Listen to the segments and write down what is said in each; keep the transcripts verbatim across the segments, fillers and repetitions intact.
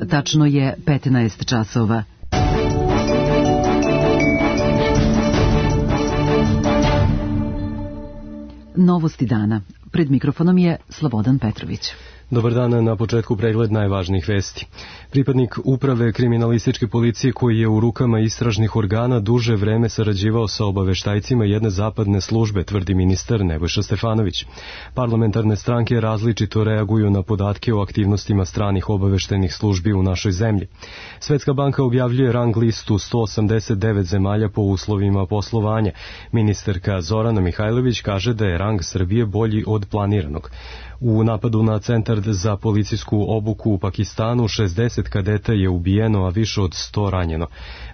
Tačno je petnaest časova. Novosti dana. Pred mikrofonom je Slobodan Petrović. Dobar dan, na početku pregled najvažnijih vesti. Pripadnik uprave kriminalističke policije koji je u rukama istražnih organa duže vreme sarađivao sa obaveštajcima jedne zapadne službe, tvrdi ministar Nebojša Stefanović. Parlamentarne stranke različito reaguju na podatke o aktivnostima stranih obaveštajnih službi u našoj zemlji. Svetska banka objavljuje rang listu sto osamdeset devet zemalja po uslovima poslovanja. Ministarka Zorana Mihajlović kaže da je rang Srbije bolji od planiranog. U napadu na centar za policijsku obuku u Pakistanu šezdeset kadeta je ubijeno, a više od sto ranjeno.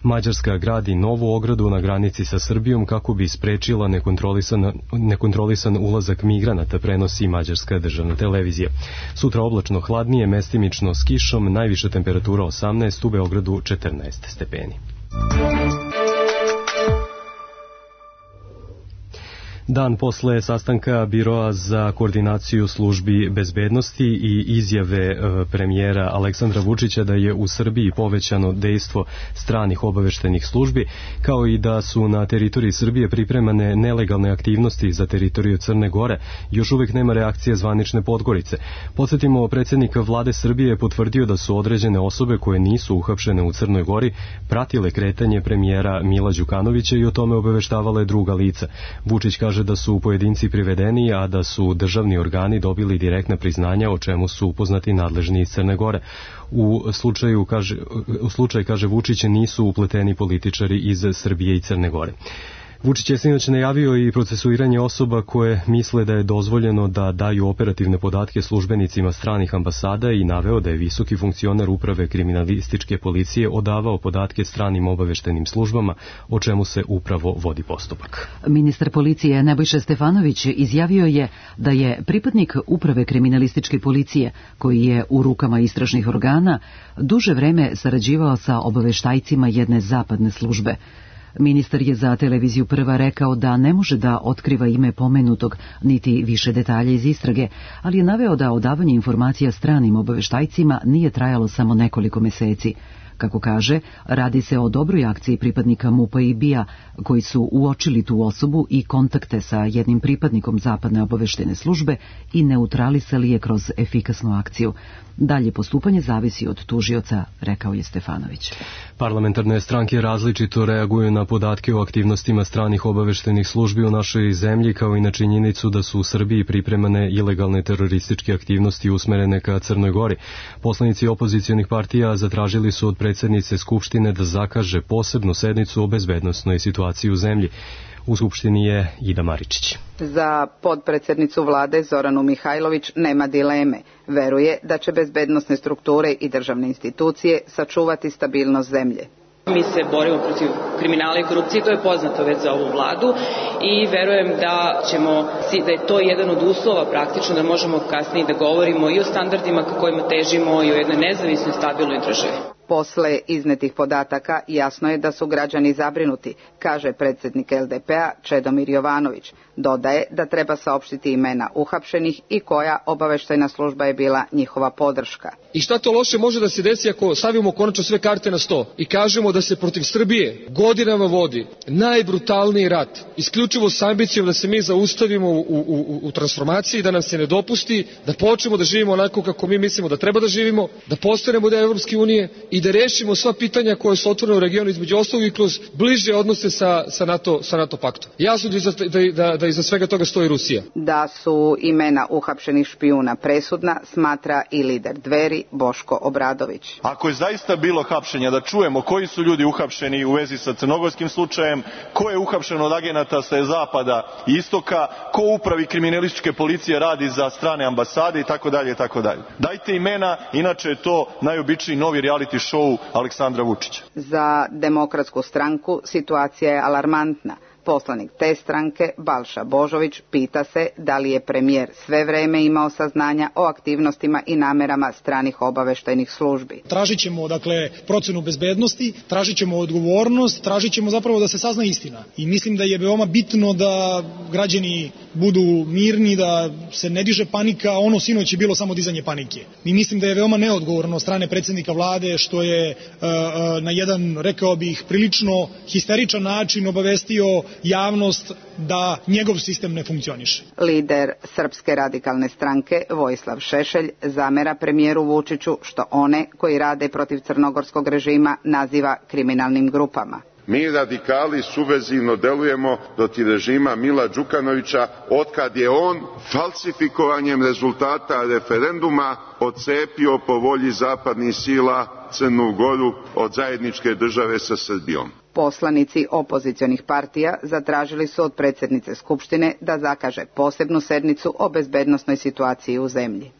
Mađarska gradi novu ogradu na granici sa Srbijom kako bi sprečila nekontrolisan, nekontrolisan ulazak migranata, prenosi mađarska državna televizija. Sutra oblačno hladnije, mestimično s kišom, najviša temperatura osamnaest, u Beogradu četrnaest stepeni. Dan posle sastanka Biroa za koordinaciju službi bezbednosti i izjave premijera Aleksandra Vučića da je u Srbiji povećano dejstvo stranih obaveštajnih službi, kao i da su na teritoriji Srbije pripremane nelegalne aktivnosti za teritoriju Crne Gore, još uvek nema reakcije zvanične Podgorice. Podsjetimo, predsjednik vlade Srbije je potvrdio da su određene osobe koje nisu uhapšene u Crnoj Gori pratile kretanje premijera Mila Đukanovića i o tome obaveštavale druga lica. Vučić kaže da su pojedinci privedeni, a da su državni organi dobili direktna priznanja, o čemu su upoznati nadležni iz Crne Gore. U slučaju, kaže, u slučaj, kaže Vučić, nisu upleteni političari iz Srbije i Crne Gore. Vučić je sinoć najavio i procesuiranje osoba koje misle da je dozvoljeno da daju operativne podatke službenicima stranih ambasada i naveo da je visoki funkcioner uprave kriminalističke policije odavao podatke stranim obaveštajnim službama, o čemu se upravo vodi postupak. Ministar policije Nebojša Stefanović izjavio je da je pripadnik uprave kriminalističke policije, koji je u rukama istražnih organa, duže vreme sarađivao sa obaveštajcima jedne zapadne službe. Ministar je za televiziju Prva rekao da ne može da otkriva ime pomenutog, niti više detalja iz istrage, ali je naveo da odavanje informacija stranim obaveštajcima nije trajalo samo nekoliko meseci. Kako kaže, radi se o dobroj akciji pripadnika MUP-a i B I A, koji su uočili tu osobu i kontakte sa jednim pripadnikom zapadne obaveštajne službe i neutralisali je kroz efikasnu akciju. Dalje postupanje zavisi od tužioca, rekao je Stefanović. Parlamentarne stranke različito reaguju na podatke o aktivnostima stranih obaveštajnih službi u našoj zemlji, kao i na činjenicu da su u Srbiji pripremane ilegalne terorističke aktivnosti usmerene ka Crnoj Gori. Poslanici opozicionih partija zatražili su od predsjednice Skupštine da zakaže posebnu sednicu o bezbednosnoj situaciji u zemlji. U Skupštini je Ida Maričić. Za potpredsjednicu vlade Zoranu Mihajlović nema dileme. Veruje da će bezbednosne strukture i državne institucije sačuvati stabilnost zemlje. Mi se borimo protiv kriminala i korupcije, to je poznato već za ovu vladu i verujem da ćemo, da je to jedan od uslova praktično da možemo kasnije da govorimo i o standardima ka kojima težimo i o jednoj nezavisnoj stabilnoj državi. Posle iznetih podataka jasno je da su građani zabrinuti, kaže predsjednik L D P-a Čedomir Jovanović. Dodaje da treba saopštiti imena uhapšenih i koja obaveštajna služba je bila njihova podrška. I šta to loše može da se desi ako stavimo konačno sve karte na sto i kažemo da se protiv Srbije godinama vodi najbrutalniji rat, isključivo s ambicijom da se mi zaustavimo u, u, u, u transformaciji, da nam se ne dopusti, da počnemo da živimo onako kako mi mislimo da treba da živimo, da postanemo deo Evropske unije i da rešimo sva pitanja koje su otvorene u regionu, između ostalog i kroz bliže odnose sa, sa, NATO, sa NATO paktom. Jasno da iza, da, da, da iza svega toga stoji Rusija. Da su imena uhapšenih špijuna presudna, smatra i lider Dveri Boško Obradović. Ako je zaista bilo hapšenja, da čujemo koji su ljudi uhapšeni u vezi sa crnogorskim slučajem, ko je uhapšen od agenata sa zapada i istoka, ko u upravi kriminalističke policije radi za strane ambasade i tako dalje i tako dalje. Dajte imena, inače je to najobičniji novi reality show Aleksandra Vučića. Za Demokratsku stranku situacija je alarmantna. Poslanik te stranke, Balša Božović, pita se da li je premijer sve vreme imao saznanja o aktivnostima i namerama stranih obaveštajnih službi. Tražit ćemo, dakle, procenu bezbednosti, tražit ćemo odgovornost, tražit ćemo zapravo da se sazna istina. I mislim da je veoma bitno da građani budu mirni, da se ne diže panika, ono sinoć je bilo samo dizanje panike. I mislim da je veoma neodgovorno od strane predsjednika vlade što je uh, uh, na jedan, rekao bih, prilično histeričan način obavestio javnost da njegov sistem ne funkcioniše. Lider Srpske radikalne stranke Vojislav Šešelj zamera premijeru Vučiću što one koji rade protiv crnogorskog režima naziva kriminalnim grupama. Mi radikali subverzivno delujemo protiv režima Mila Đukanovića otkad je on falsifikovanjem rezultata referenduma odcepio po volji zapadnih sila Crnu Goru od zajedničke države sa Srbijom. Poslanici opozicionih partija zatražili su od predsjednice Skupštine da zakaže posebnu sednicu o bezbednosnoj situaciji u zemlji.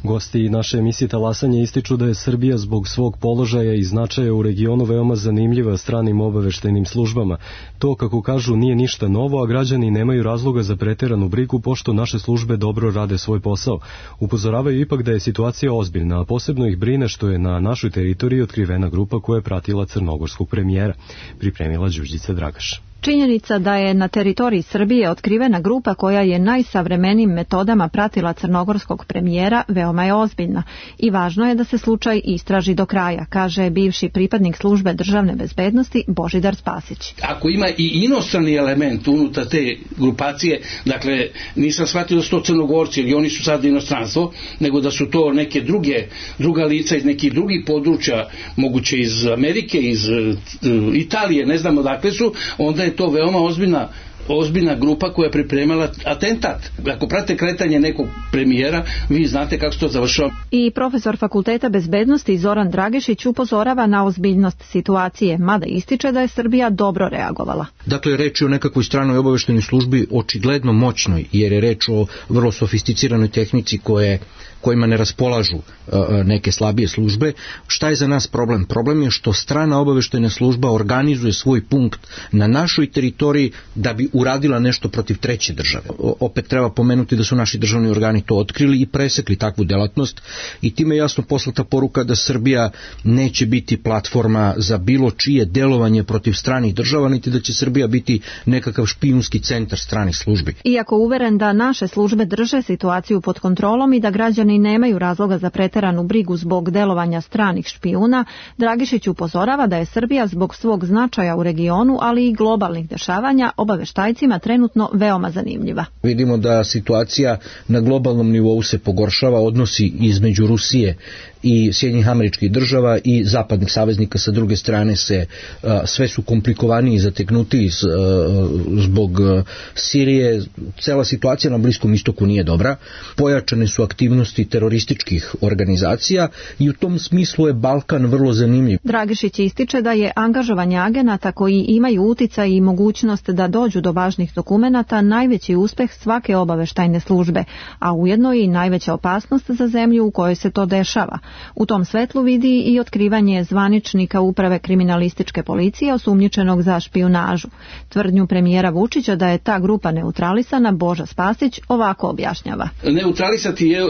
Gosti naše emisije Talasanje ističu da je Srbija zbog svog položaja i značaja u regionu veoma zanimljiva stranim obaveštajnim službama. To, kako kažu, nije ništa novo, a građani nemaju razloga za preteranu brigu pošto naše službe dobro rade svoj posao. Upozoravaju ipak da je situacija ozbiljna, a posebno ih brine što je na našoj teritoriji otkrivena grupa koja je pratila crnogorskog premijera, pripremila Đurđica Dragaš. Činjenica da je na teritoriji Srbije otkrivena grupa koja je najsavremenijim metodama pratila crnogorskog premijera veoma je ozbiljna i važno je da se slučaj istraži do kraja, kaže bivši pripadnik službe državne bezbednosti Božidar Spasić. Ako ima i inostrani element unutar te grupacije, dakle nisam shvatio da su to Crnogorci ili oni su sad inostranstvo, nego da su to neke druge, druga lica iz nekih drugih područja, moguće iz Amerike, iz uh, Italije, ne znam odakle su, onda je to veoma ozbiljna ozbiljna grupa koja je pripremala atentat. Ako prate kretanje nekog premijera, vi znate kako se to završava. I profesor Fakulteta bezbednosti Zoran Dragešić upozorava na ozbiljnost situacije, mada ističe da je Srbija dobro reagovala. Dakle, reč je o nekakvoj stranoj obaveštajnoj službi očigledno moćnoj, jer je reč o vrlo sofisticiranoj tehnici koje kojima ne raspolažu neke slabije službe. Šta je za nas problem? Problem je što strana obaveštajna služba organizuje svoj punkt na našoj teritoriji da bi uradila nešto protiv treće države. Opet treba pomenuti da su naši državni organi to otkrili i presekli takvu delatnost i time je jasno poslata poruka da Srbija neće biti platforma za bilo čije delovanje protiv stranih država, niti da će Srbija biti nekakav špijunski centar stranih službi. Iako uveren da naše službe drže situaciju pod kontrolom i da građani nemaju razloga za preteranu brigu zbog delovanja stranih špijuna, Dragišić upozorava da je Srbija zbog svog značaja u regionu, ali i globalnih dešavanja obaveštajcima trenutno veoma zanimljiva. Vidimo da situacija na globalnom nivou se pogoršava, odnosi između Rusije i Sjedinjenih Američkih Država i zapadnih saveznika sa druge strane se a, sve su komplikovaniji i zateknutiji z, a, zbog a, Sirije. Cela situacija na Bliskom istoku nije dobra. Pojačane su aktivnosti terorističkih organizacija i u tom smislu je Balkan vrlo zanimljiv. Dragišić ističe da je angažovanje agenata koji imaju uticaj i mogućnost da dođu do važnih dokumenata najveći uspeh svake obaveštajne službe, a ujedno i najveća opasnost za zemlju u kojoj se to dešava. U tom svetlu vidi i otkrivanje zvaničnika uprave kriminalističke policije osumnjičenog za špijunažu. Tvrdnju premijera Vučića da je ta grupa neutralisana Boža Spasić ovako objašnjava. Neutralisati je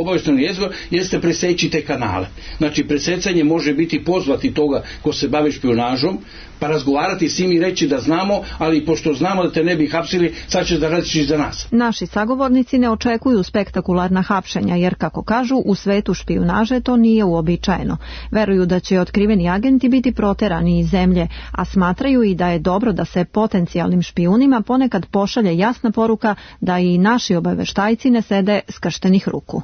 obaveštajno jezgro jeste preseći te kanale. Znači presecanje može biti pozvati toga ko se bavi špijunažom, pa razgovarati s njim i reći da znamo, ali pošto znamo da te ne bi hapsili, sad ćeš da radiš za nas. Naši sagovornici ne očekuju spektakularna hapšenja, jer kako kažu, u svetu špijunaže to nije uobičajeno. Veruju da će otkriveni agenti biti proterani iz zemlje, a smatraju i da je dobro da se potencijalnim špijunima ponekad pošalje jasna poruka da i naši obaveštajci ne sede skrštenih ruku.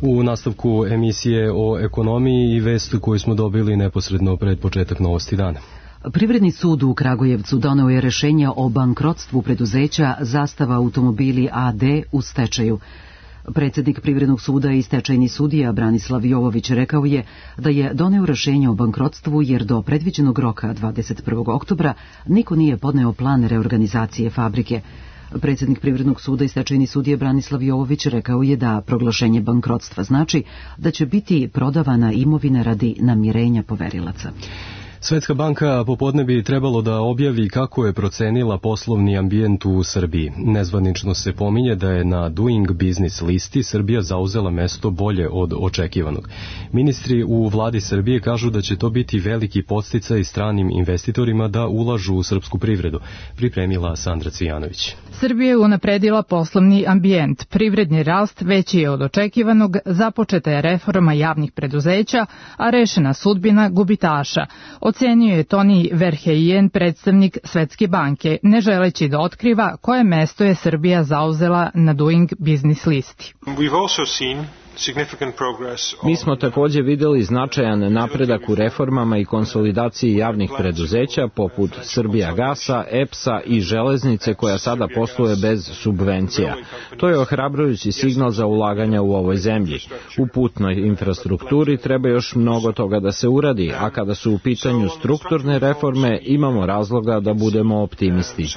U nastavku emisije o ekonomiji i vest koju smo dobili neposredno pred početak novosti dana. Privredni sud u Kragujevcu doneo je rešenje o bankrotstvu preduzeća Zastava automobili A D u stečaju. Predsjednik Privrednog suda i stečajni sudija Branislav Jovović rekao je da je doneo rešenje o bankrotstvu jer do predviđenog roka dvadeset prvog oktobra niko nije podneo plan reorganizacije fabrike. Predsjednik Privrednog suda i stečajni sudija Branislav Jovović rekao je da proglašenje bankrotstva znači da će biti prodavana imovina radi namirenja poverilaca. Svetska banka popodne bi trebalo da objavi kako je procenila poslovni ambijent u Srbiji. Nezvanično se pominje da je na Doing Business listi Srbija zauzela mesto bolje od očekivanog. Ministri u vladi Srbije kažu da će to biti veliki podsticaj stranim investitorima da ulažu u srpsku privredu, pripremila Sandra Cvijanović. Srbija je unapredila poslovni ambijent, privredni rast veći je od očekivanog, započeta je reforma javnih preduzeća, a rešena sudbina gubitaša. Ocenio je Toni Verheijen, predstavnik Svetske banke, ne želeći da otkriva koje mesto je Srbija zauzela na Doing Business listi. Mi smo također vidjeli značajan napredak u reformama i konsolidaciji javnih preduzeća poput Srbijagasa, E P S-a i železnice koja sada posluje bez subvencija. To je ohrabrujući signal za ulaganja u ovoj zemlji. U putnoj infrastrukturi treba još mnogo toga da se uradi, a kada su u pitanju strukturne reforme imamo razloga da budemo optimisti.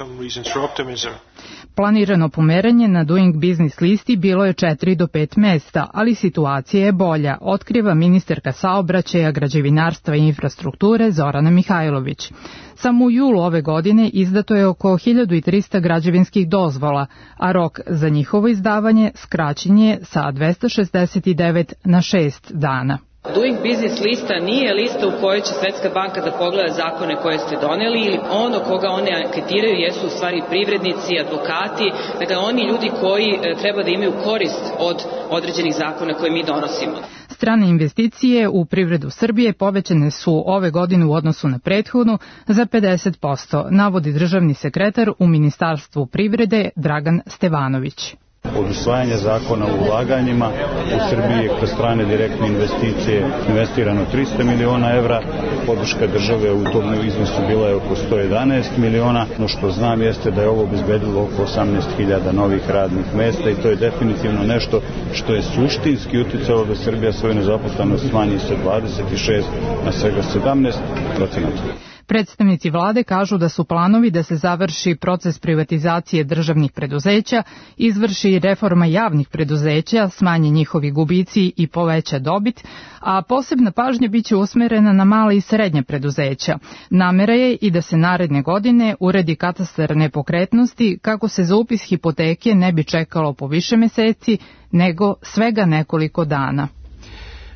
Planirano pomeranje na Doing Business listi bilo je četiri do pet mesta, ali situacija je bolja, otkriva ministarka saobraćaja, građevinarstva i infrastrukture Zorana Mihajlović. Samo u julu ove godine izdato je oko hiljadu trista građevinskih dozvola, a rok za njihovo izdavanje skraćen je sa dvesta šezdeset devet na šest dana. Doing Business lista nije lista u kojoj će Svetska banka da pogleda zakone koje ste doneli ili ono koga one anketiraju jesu u stvari privrednici, advokati, dakle oni ljudi koji treba da imaju korist od određenih zakona koje mi donosimo. Strane investicije u privredu Srbije povećane su ove godine u odnosu na prethodnu za pedeset posto, navodi državni sekretar u Ministarstvu privrede Dragan Stevanović. Od usvajanja zakona o ulaganjima u Srbiji je kroz strane direktne investicije investirano trista miliona evra, podrška države u tom iznosu bila je oko sto jedanaest miliona. No što znam jeste da je ovo obezbedilo oko osamnaest hiljada novih radnih mesta i to je definitivno nešto što je suštinski uticalo da Srbija svoju nezaposlenost smanji sa dvadeset šest na svega sedamnaest procenata. Predstavnici vlade kažu da su planovi da se završi proces privatizacije državnih preduzeća, izvrši reforma javnih preduzeća, smanje njihovi gubici i poveća dobit, a posebna pažnja biće usmerena na mala i srednja preduzeća. Namera je i da se naredne godine uredi katastar nepokretnosti kako se za upis hipoteke ne bi čekalo po više meseci, nego svega nekoliko dana.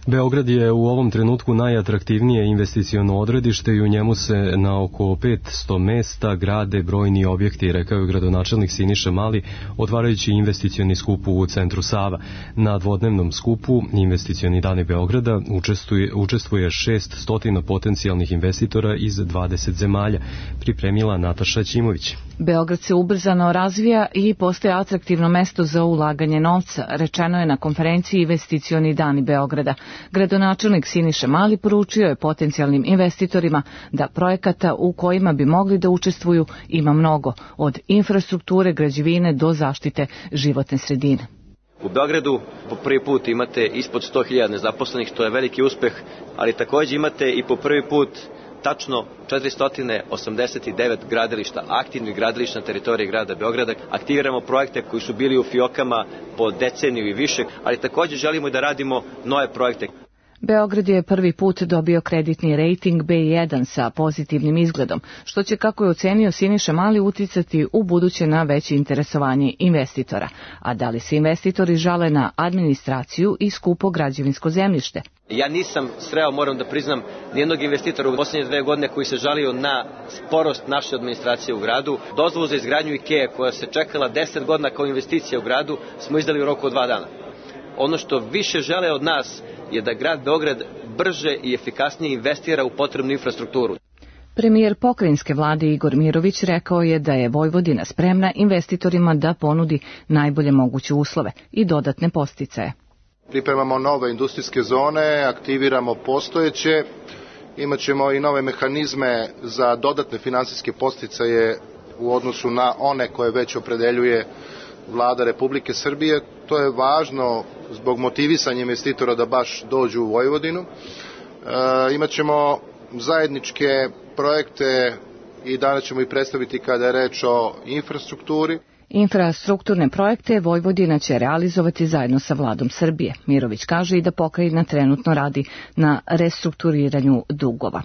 Beograd je u ovom trenutku najatraktivnije investiciono odredište i u njemu se na oko petsto mesta grade brojni objekti, rekao je gradonačelnik Siniša Mali, otvarajući investicioni skup u centru Sava. Na dvodnevnom skupu Investicioni dani Beograda učestvuje, učestvuje šest stotina potencijalnih investitora iz dvadeset zemalja, pripremila Nataša Ćimović. Beograd se ubrzano razvija i postaje atraktivno mesto za ulaganje novca, rečeno je na konferenciji Investicioni dani Beograda. Gradonačelnik Siniša Mali poručio je potencijalnim investitorima da projekata u kojima bi mogli da učestvuju ima mnogo, od infrastrukture, građevine do zaštite životne sredine. U Beogradu po prvi put imate ispod sto hiljada nezaposlenih, što je veliki uspeh, ali također imate i po prvi put tačno četiristo osamdeset devet gradilišta, aktivnih gradilišta na teritoriji grada Beograda. Aktiviramo projekte koji su bili u fijokama po deceniju i više, ali također želimo da radimo nove projekte. Beograd je prvi put dobio kreditni rejting be jedan sa pozitivnim izgledom, što će, kako je ocenio Siniša Mali, uticati u buduće na veće interesovanje investitora. A da li se investitori žale na administraciju i skupo građevinsko zemljište? Ja nisam sreo, moram da priznam, nijednog investitora u posljednje dve godine koji se žalio na sporost naše administracije u gradu. Dozvolu za izgradnju IKEA koja se čekala deset godina kao investicija u gradu smo izdali u roku od dva dana. Ono što više žele od nas je da grad Beograd brže i efikasnije investira u potrebnu infrastrukturu. Premijer pokrajinske vlade Igor Mirović rekao je da je Vojvodina spremna investitorima da ponudi najbolje moguće uslove i dodatne podsticaje. Pripremamo nove industrijske zone, aktiviramo postojeće, imaćemo i nove mehanizme za dodatne finansijske podsticaje u odnosu na one koje već opredeljuje Vlada Republike Srbije. To je važno zbog motivisanja investitora da baš dođu u Vojvodinu. E, imaćemo zajedničke projekte i danas ćemo ih predstaviti kada je reč o infrastrukturi. Infrastrukturne projekte Vojvodina će realizovati zajedno sa Vladom Srbije. Mirović kaže i da pokrajina trenutno radi na restrukturiranju dugova.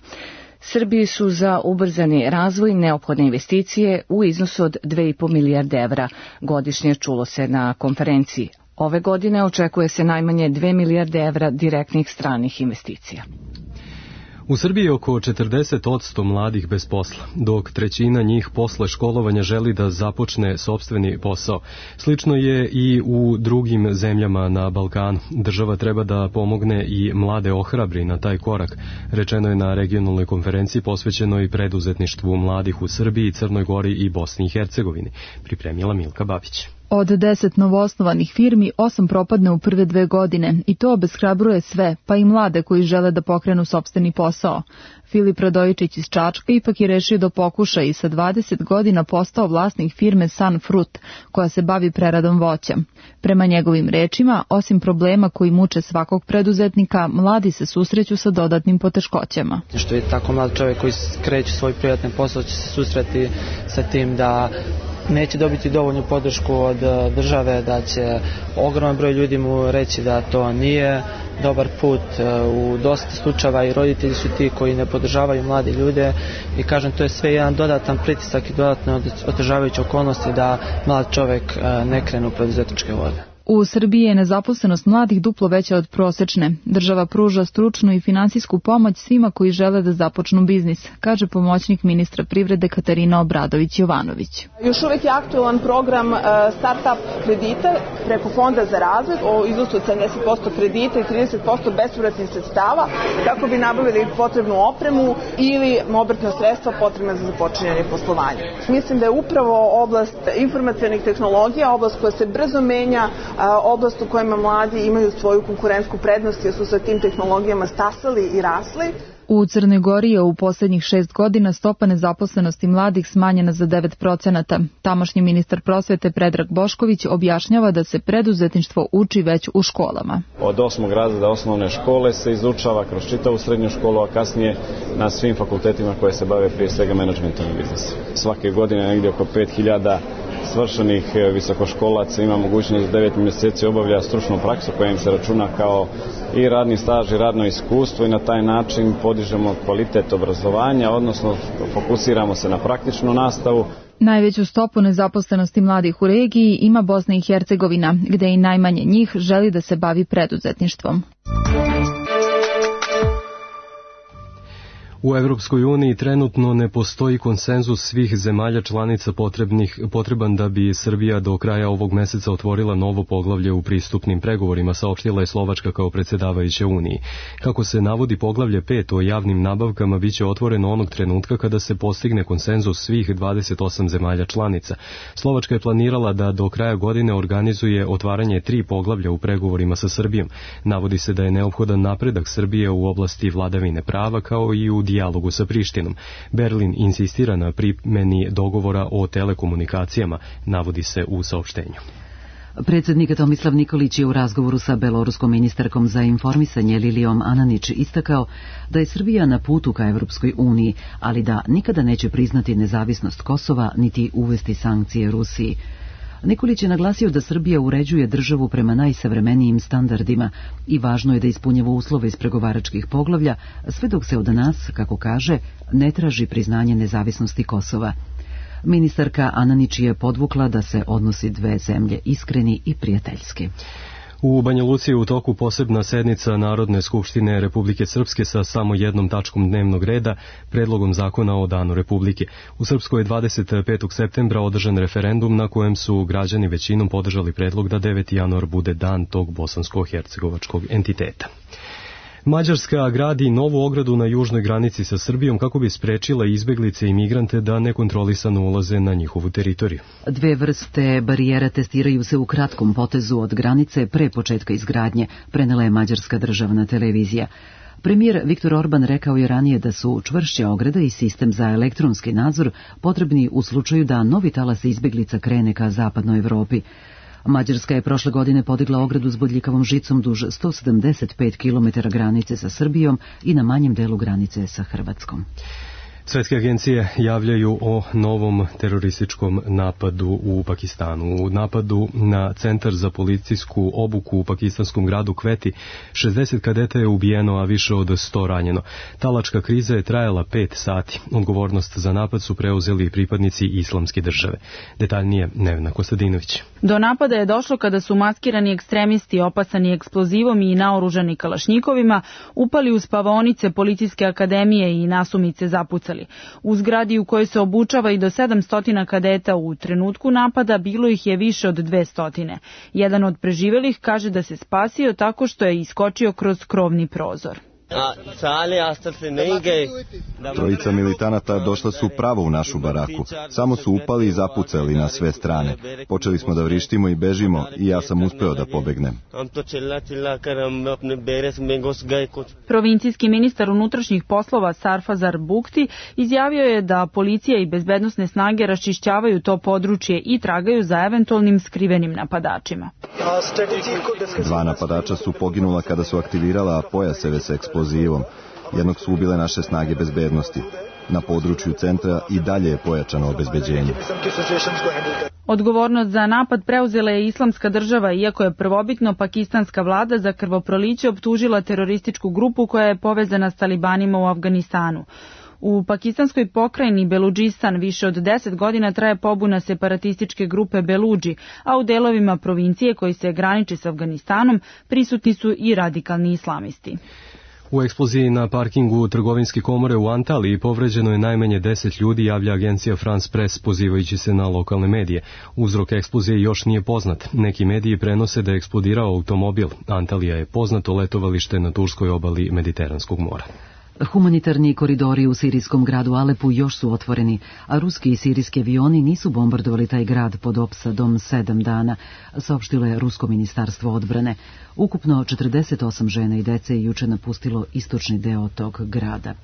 Srbiji su za ubrzani razvoj neophodne investicije u iznosu od dve i po milijarde evra godišnje, čulo se na konferenciji. Ove godine očekuje se najmanje dve milijarde evra direktnih stranih investicija. U Srbiji je oko četrdeset posto mladih bez posla, dok trećina njih posle školovanja želi da započne sopstveni posao. Slično je i u drugim zemljama na Balkanu. Država treba da pomogne i mlade ohrabri na taj korak, rečeno je na regionalnoj konferenciji posvećenoj preduzetništvu mladih u Srbiji, Crnoj Gori i Bosni i Hercegovini, pripremila Milka Babić. Od deset novoosnovanih firmi, osam propadne u prve dve godine i to obeshrabruje sve, pa i mlade koji žele da pokrenu sopstveni posao. Filip Radojičić iz Čačka ipak je rešio da pokuša i sa dvadeset godina postao vlasnik firme Sun Fruit, koja se bavi preradom voća. Prema njegovim rečima, osim problema koji muče svakog preduzetnika, mladi se susreću sa dodatnim poteškoćama. Što je tako mlad čovjek koji kreće svoj privatni posao će se susreti sa tim da neće dobiti dovoljnu podršku od države, da će ogroman broj ljudi mu reći da to nije dobar put. U dosta slučajeva i roditelji su ti koji ne podržavaju mlade ljude i kažem, to je sve jedan dodatan pritisak i dodatne otežavajuće okolnosti da mlad čovjek ne krene u preduzetničke vode. U Srbiji je nezaposlenost mladih duplo veća od prosečne. Država pruža stručnu i finansijsku pomoć svima koji žele da započnu biznis, kaže pomoćnik ministra privrede Katarina Obradović-Jovanović. Još uvijek je aktualan program start-up kredita preko Fonda za razvoj o iznosu od sedamdeset posto kredita i trideset posto bespovratnih sredstava kako bi nabavili potrebnu opremu ili obrtna sredstva potrebna za započinjanje poslovanja. Mislim da je upravo oblast informacionih tehnologija, oblast koja se brzo menja, oblast u kojima mladi imaju svoju konkurentsku prednost jer su sa tim tehnologijama stasali i rasli. U Crnoj Gori je u posljednjih šest godina stopa nezaposlenosti mladih smanjena za devet procenata. Tamošnji ministar prosvete Predrag Bošković objašnjava da se preduzetništvo uči već u školama. Od osmog razreda osnovne škole se izučava kroz čitavu srednju školu, a kasnije na svim fakultetima koje se bave prije svega menadžmentom i biznisom. Svake godine negdje oko pet hiljada svršenih visokoškolaca ima mogućnost da devet mjeseci obavlja stručnu praksu koja im se računa kao i radni staž i radno iskustvo i na taj način podižemo kvalitet obrazovanja, odnosno fokusiramo se na praktičnu nastavu. Najveću stopu nezaposlenosti mladih u regiji ima Bosna i Hercegovina, gde i najmanje njih želi da se bavi preduzetništvom. U Evropskoj uniji trenutno ne postoji konsenzus svih zemalja članica potrebnih, potreban da bi Srbija do kraja ovog meseca otvorila novo poglavlje u pristupnim pregovorima, saopštila je Slovačka kao predsjedavajuća Uniji. Kako se navodi, poglavlje pet o javnim nabavkama biće otvoreno onog trenutka kada se postigne konsenzus svih dvadeset osam zemalja članica. Slovačka je planirala da do kraja godine organizuje otvaranje tri poglavlja u pregovorima sa Srbijom. Navodi se da je neophodan napredak Srbije u oblasti vladavine prava kao i u dijalogu sa Prištinom. Berlin insistira na primjeni dogovora o telekomunikacijama, navodi se u saopštenju. Predsjednik Tomislav Nikolić je u razgovoru sa beloruskom ministarkom za informisanje Lilijom Ananić istakao da je Srbija na putu ka Evropskoj uniji, ali da nikada neće priznati nezavisnost Kosova niti uvesti sankcije Rusiji. Nikolić je naglasio da Srbija uređuje državu prema najsavremenijim standardima i važno je da ispunjava uslove iz pregovaračkih poglavlja, sve dok se od nas, kako kaže, ne traži priznanje nezavisnosti Kosova. Ministarka Ananić je podvukla da se odnosi dve zemlje iskreni i prijateljski. U Banja Luci je u toku posebna sednica Narodne skupštine Republike Srpske sa samo jednom tačkom dnevnog reda, predlogom zakona o Danu Republike. U Srpskoj je dvadeset petog septembra održan referendum na kojem su građani većinom podržali predlog da deveti januar bude dan tog bosansko-hercegovačkog entiteta. Mađarska gradi novu ogradu na južnoj granici sa Srbijom kako bi sprečila izbeglice i migrante da nekontrolisano ulaze na njihovu teritoriju. Dve vrste barijera testiraju se u kratkom potezu od granice pre početka izgradnje, prenela je mađarska državna televizija. Premijer Viktor Orban rekao je ranije da su čvršća ograda i sistem za elektronski nadzor potrebni u slučaju da novi talas izbeglica krene ka zapadnoj Evropi. Mađarska je prošle godine podigla ogradu s bodljikavom žicom duž sto sedamdeset pet kilometara granice sa Srbijom i na manjem delu granice sa Hrvatskom. Svetske agencije javljaju o novom terorističkom napadu u Pakistanu. U napadu na centar za policijsku obuku u pakistanskom gradu Kveti šezdeset kadeta je ubijeno, a više od sto ranjeno. Talačka kriza je trajala pet sati. Odgovornost za napad su preuzeli pripadnici Islamske države. Detaljnije Nevena Kostadinović. Do napada je došlo kada su maskirani ekstremisti opasani eksplozivom i naoružani kalašnjikovima upali u spavaonice policijske akademije i nasumice zapucali. U zgradi u kojoj se obučava i do sedamsto kadeta u trenutku napada bilo ih je više od dvesta. Jedan od preživelih kaže da se spasio tako što je iskočio kroz krovni prozor. Trojica militanata došla su pravo u našu baraku. Samo su upali i zapucali na sve strane. Počeli smo da vrištimo i bežimo i ja sam uspeo da pobegnem. Provincijski ministar unutrašnjih poslova Sarfazar Bukti izjavio je da policija i bezbednosne snage raščišćavaju to područje i tragaju za eventualnim skrivenim napadačima. Dva napadača su poginula kada su aktivirala pojaseve sa eksplozivom. Jednog su ubile naše snage bezbednosti. Na području centra i dalje je pojačano obezbeđenje. Odgovornost za napad preuzela je Islamska država, iako je prvobitno pakistanska vlada za krvoproliće optužila terorističku grupu koja je povezana s talibanima u Afganistanu. U pakistanskoj pokrajini Beludžistan više od deset godina traje pobuna separatističke grupe Beludži, a u delovima provincije koji se graniče s Afganistanom prisutni su i radikalni islamisti. U eksploziji na parkingu trgovinske komore u Antaliji povređeno je najmanje deset ljudi, javlja agencija France Press pozivajući se na lokalne medije. Uzrok eksplozije još nije poznat. Neki mediji prenose da je eksplodirao automobil. Antalija je poznato letovalište na turskoj obali Mediteranskog mora. Humanitarni koridori u sirijskom gradu Alepu još su otvoreni, a ruski i sirijski avioni nisu bombardovali taj grad pod opsadom sedam dana, saopštilo je Rusko ministarstvo odbrane. Ukupno četrdeset osam žena i dece je juče napustilo istočni deo tog grada.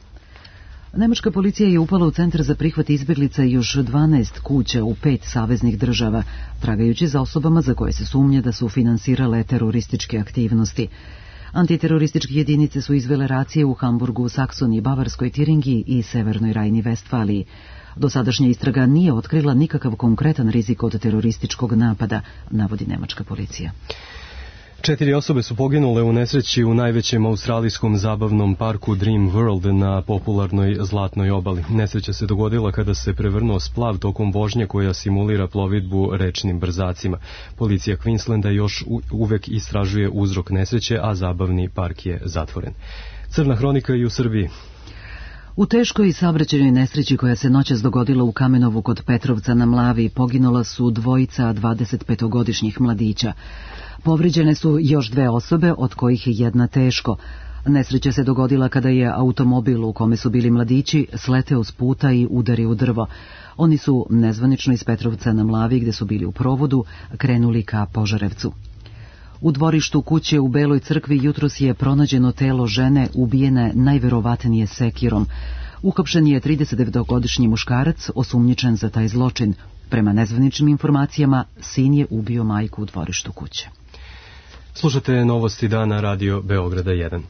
Nemačka policija je upala u centar za prihvat izbjeglica i još dvanaest kuća u pet saveznih država, tragajući za osobama za koje se sumnja da su finansirale terorističke aktivnosti. Antiterorističke jedinice su izvele racije u Hamburgu, Saksoniji, Bavarskoj, Tiringiji i Severnoj Rajni-Vestfaliji. Dosadašnja istraga nije otkrila nikakav konkretan rizik od terorističkog napada, navodi nemačka policija. Četiri osobe su poginule u nesreći u najvećem australijskom zabavnom parku Dream World na popularnoj Zlatnoj obali. Nesreća se dogodila kada se prevrnuo splav tokom vožnje koja simulira plovidbu rečnim brzacima. Policija Queenslanda još uvek istražuje uzrok nesreće, a zabavni park je zatvoren. Crna hronika i u Srbiji. U teškoj saobraćajnoj nesreći koja se noćas dogodila u Kamenovu kod Petrovca na Mlavi poginula su dvojica dvadesetpetogodišnjih mladića. Povrijeđene su još dve osobe, od kojih je jedna teško. Nesreća se dogodila kada je automobil u kome su bili mladići sleteo s puta i udario u drvo. Oni su nezvanično iz Petrovca na Mlavi, gde su bili u provodu, krenuli ka Požarevcu. U dvorištu kuće u Beloj crkvi jutros je pronađeno telo žene ubijene najverovatnije sekirom. Uhapšen je tridesetdevetogodišnji muškarac osumnjičen za taj zločin. Prema nezvaničnim informacijama, sin je ubio majku u dvorištu kuće. Slušate novosti dana Radio Beograda jedan.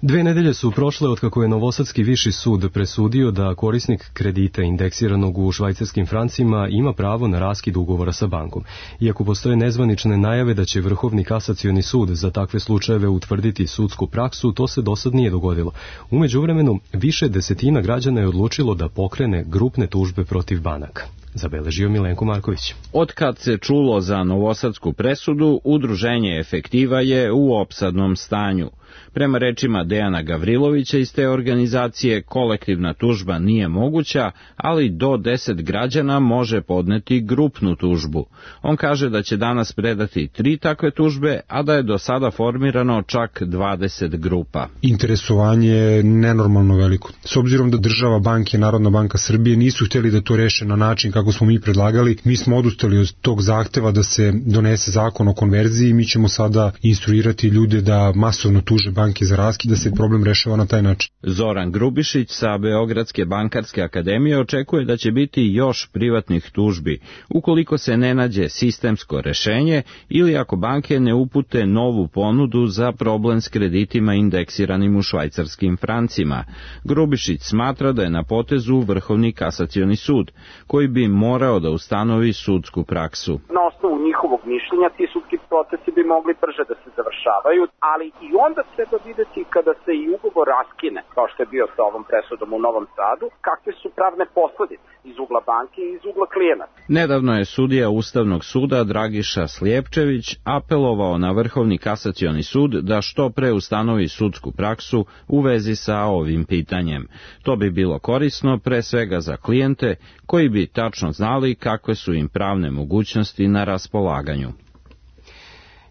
Dve nedelje su prošle otkako je Novosadski viši sud presudio da korisnik kredita indeksiranog u švajcarskim francima ima pravo na raskid ugovora sa bankom. Iako postoje nezvanične najave da će Vrhovni kasacioni sud za takve slučajeve utvrditi sudsku praksu, to se dosad nije dogodilo. U međuvremenu, više desetina građana je odlučilo da pokrene grupne tužbe protiv banaka. Zabeležio Milenko Marković. Otkad se čulo za novosadsku presudu, udruženje Efektiva je u opsadnom stanju. Prema rečima Dejana Gavrilovića iz te organizacije, kolektivna tužba nije moguća, ali do deset građana može podneti grupnu tužbu. On kaže da će danas predati tri takve tužbe, a da je do sada formirano čak dvadeset grupa. Interesovanje je nenormalno veliko. S obzirom da država, banke, Narodna banka Srbije nisu htjeli da to reše na način kako smo mi predlagali, mi smo odustali od tog zahteva da se donese zakon o konverziji i mi ćemo sada instruirati ljude da masovno tuže tuže banke za raskid, da se problem rešava na taj način. Zoran Grubišić sa Beogradske bankarske akademije očekuje da će biti još privatnih tužbi, ukoliko se ne nađe sistemsko rešenje ili ako banke ne upute novu ponudu za problem s kreditima indeksiranim u švajcarskim francima. Grubišić smatra da je na potezu Vrhovni kasacioni sud, koji bi morao da ustanovi sudsku praksu. Na osnovu njihovog mišljenja ti sudski procesi bi mogli brže da se završavaju, ali i onda treba videti kada se i ugovor raskine, kao što je bio sa ovom presudom u Novom Sadu, kakve su pravne posledice iz ugla banke i iz ugla klijenata. Nedavno je sudija Ustavnog suda Dragiša Slijepčević apelovao na Vrhovni kasacioni sud da što pre ustanovi sudsku praksu u vezi sa ovim pitanjem. To bi bilo korisno pre svega za klijente koji bi tačno znali kakve su im pravne mogućnosti na raspolaganju.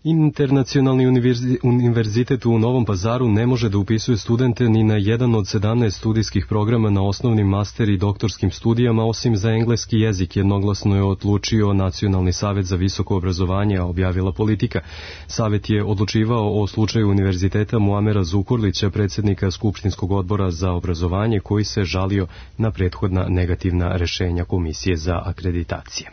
Internacionalni univerzitet u Novom Pazaru ne može da upisuje studente ni na jedan od sedamnaest studijskih programa na osnovnim, master i doktorskim studijama, osim za engleski jezik, jednoglasno je odlučio Nacionalni savet za visoko obrazovanje, objavila Politika. Savet je odlučivao o slučaju univerziteta Muamera Zukorlića, predsjednika Skupštinskog odbora za obrazovanje, koji se žalio na prethodna negativna rešenja Komisije za akreditacije.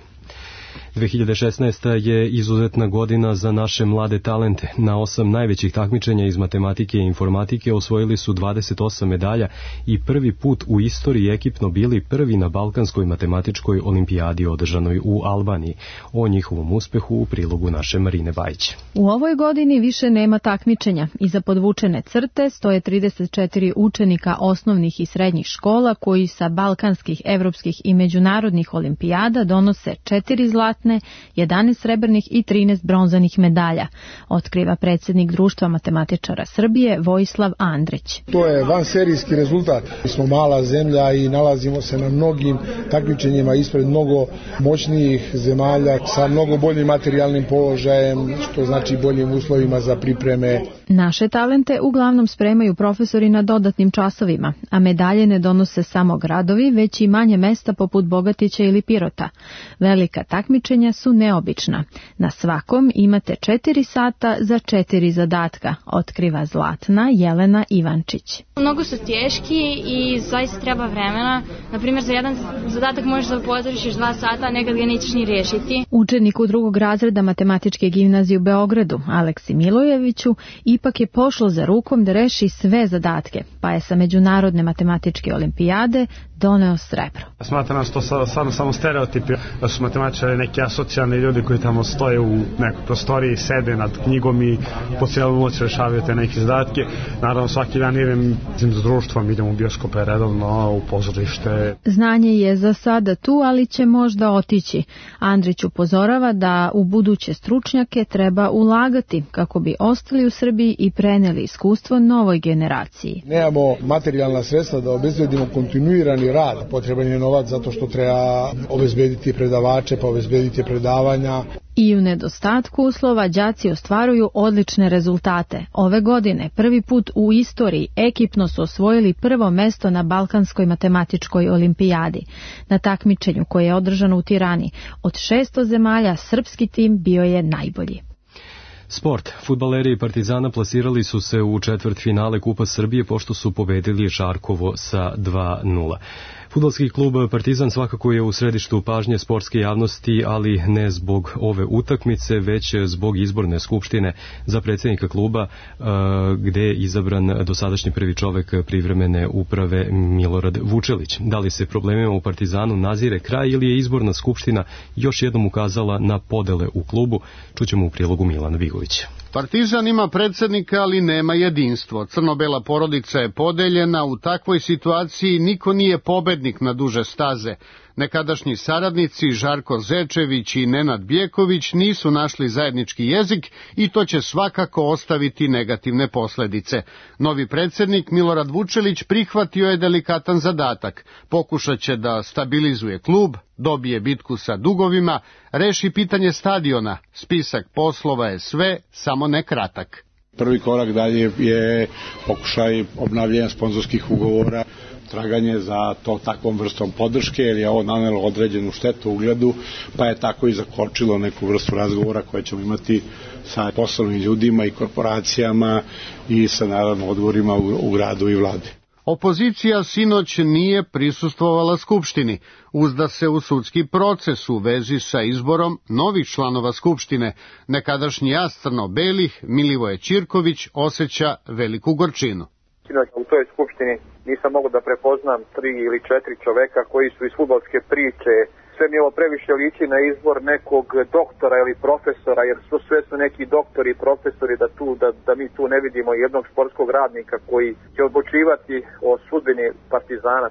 dve hiljade šesnaesta. je izuzetna godina za naše mlade talente. Na osam najvećih takmičenja iz matematike i informatike osvojili su dvadeset osam medalja i prvi put u istoriji ekipno bili prvi na Balkanskoj matematičkoj olimpijadi održanoj u Albaniji. O njihovom uspehu u prilogu naše Marine Bajić. U ovoj godini više nema takmičenja. Iza podvučene crte stoje trideset četiri učenika osnovnih i srednjih škola koji sa balkanskih, evropskih i međunarodnih olimpijada donose četiri zlatne, jedanaest srebrnih i trinaest bronzanih medalja, otkriva predsjednik Društva matematičara Srbije Vojislav Andrić. To je vanserijski rezultat. Mi smo mala zemlja i nalazimo se na mnogim takmičenjima ispred mnogo moćnijih zemalja sa mnogo boljim materijalnim položajem, što znači boljim uslovima za pripreme. Naše talente uglavnom spremaju profesori na dodatnim časovima, a medalje ne donose samo gradovi, već i manje mesta poput Bogatića ili Pirota. Velika takmičenja su neobična. Na svakom imate četiri sata za četiri zadatka, otkriva Zlatna Jelena Ivančić. Mnogo su teški i zaista treba vremena. Naprimjer, za jedan zadatak možeš da potrošiš dva sata, a nekad ga nećeš ni rešiti. Učeniku drugog razreda matematičke gimnazije u Beogradu, Aleksi Milojeviću, ipak je pošlo za rukom da reši sve zadatke, pa je sa Međunarodne matematičke olimpijade doneo srebro. Smatram da to samo, samo stereotipi, da su matematičari neki asocijalni ljudi koji tamo stoje u nekoj prostoriji, sede nad knjigom i po cijelu noć rešavaju te neke zadatke. Naravno, svaki dan idem s društvom, idem u bioskope redovno, u pozorište. Znanje je za sada tu, ali će možda otići. Andrić upozorava da u buduće stručnjake treba ulagati kako bi ostali u Srbiji i preneli iskustvo novoj generaciji. Nemamo materijalna sredstva da obezbedimo kontinuirani rad. Potreban je novac zato što treba obezbediti predavače, pa obezbediti predavanja. I u nedostatku uslova đaci ostvaruju odlične rezultate. Ove godine prvi put u istoriji ekipno su osvojili prvo mesto na Balkanskoj matematičkoj olimpijadi. Na takmičenju koje je održano u Tirani, od šesto zemalja srpski tim bio je najbolji. Sport. Fudbaleri Partizana plasirali su se u četvrtfinale Kupa Srbije pošto su pobedili Žarkovo sa dva nula. Fudbalski klub Partizan svakako je u središtu pažnje sportske javnosti, ali ne zbog ove utakmice, već zbog izborne skupštine za predsjednika kluba, gde je izabran dosadašnji prvi čovek privremene uprave Milorad Vučelić. Da li se problemima u Partizanu nazire kraj ili je izborna skupština još jednom ukazala na podele u klubu? Čućemo u prilogu Milana Bigovića. Partizan ima predsjednika, ali nema jedinstvo. Crno-bela porodica je podeljena, u takvoj situaciji niko nije pobednik na duže staze. Nekadašnji saradnici Žarko Zečević i Nenad Bjeković nisu našli zajednički jezik i to će svakako ostaviti negativne posljedice. Novi predsjednik Milorad Vučelić prihvatio je delikatan zadatak. Pokušat će da stabilizuje klub, dobije bitku sa dugovima, reši pitanje stadiona. Spisak poslova je sve, samo ne kratak. Prvi korak dalje je pokušaj obnavljanja sponzorskih ugovora. traganje za to takvom vrstom podrške, jer je ovo nanelo određenu štetu ugledu, pa je tako i zakočilo neku vrstu razgovora koje ćemo imati sa poslovnim ljudima i korporacijama i sa naravno odgovorima u, u gradu i vladi. Opozicija sinoć nije prisustvovala Skupštini, uzda se u sudski proces u vezi sa izborom novih članova Skupštine. Nekadašnji jas crno-belih Milivoje Ćirković osjeća veliku gorčinu. Sinoć u toj Skupštini nisam mogao da prepoznam tri ili četiri čoveka koji su iz fudbalske priče. Sve mi ovo previše liči na izbor nekog doktora ili profesora, jer su sve su neki doktori i profesori, da, tu, da, da mi tu ne vidimo jednog športskog radnika koji će odlučivati o sudbini Partizana.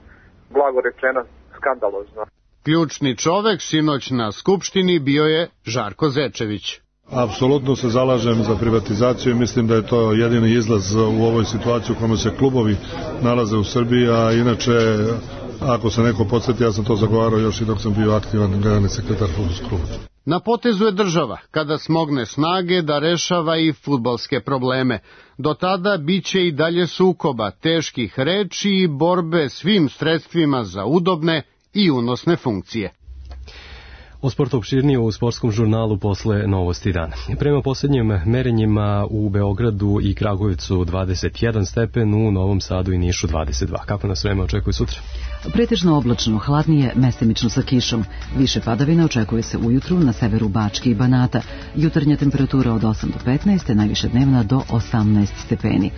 Blago rečeno, skandalozno. Ključni čovek sinoć na Skupštini bio je Žarko Zečević. Apsolutno se zalažem za privatizaciju i mislim da je to jedini izlaz u ovoj situaciji u kojoj se klubovi nalaze u Srbiji, a inače, ako se neko podsjeti, ja sam to zagovarao još i dok sam bio aktivan generalni sekretar fudbalskog kluba. Na potezu je država, kada smogne snage da rešava i fudbalske probleme. Do tada biće i dalje sukoba, teških reči i borbe svim sredstvima za udobne i unosne funkcije. O sportu opširnije u sportskom žurnalu posle novosti dana. Prema posljednjim merenjima u Beogradu i Kragujevcu dvadeset jedan stepen, u Novom Sadu i Nišu dvadeset dva. Kako nas vreme očekuje sutra? Pretežno oblačno, hladnije, mestimično sa kišom. Više padavina očekuje se ujutru na severu Bačke i Banata. Jutarnja temperatura od osam do petnaest, najviše dnevna do osamnaest stepeni.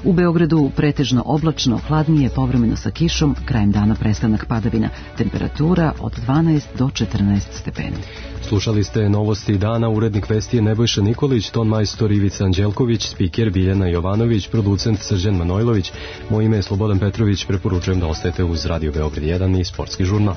U Beogradu pretežno oblačno, hladnije, povremeno sa kišom, krajem dana prestanak padavina. Temperatura od dvanaest do četrnaest stepeni. Slušali ste novosti dana, urednik vesti je Nebojša Nikolić, ton majstor Ivica Anđelković, spiker Biljana Jovanović, producent Srđan Manojlović. Moje ime je Slobodan Petrović, preporučujem da ostajete uz Radio Beograd jedan i sportski žurnal.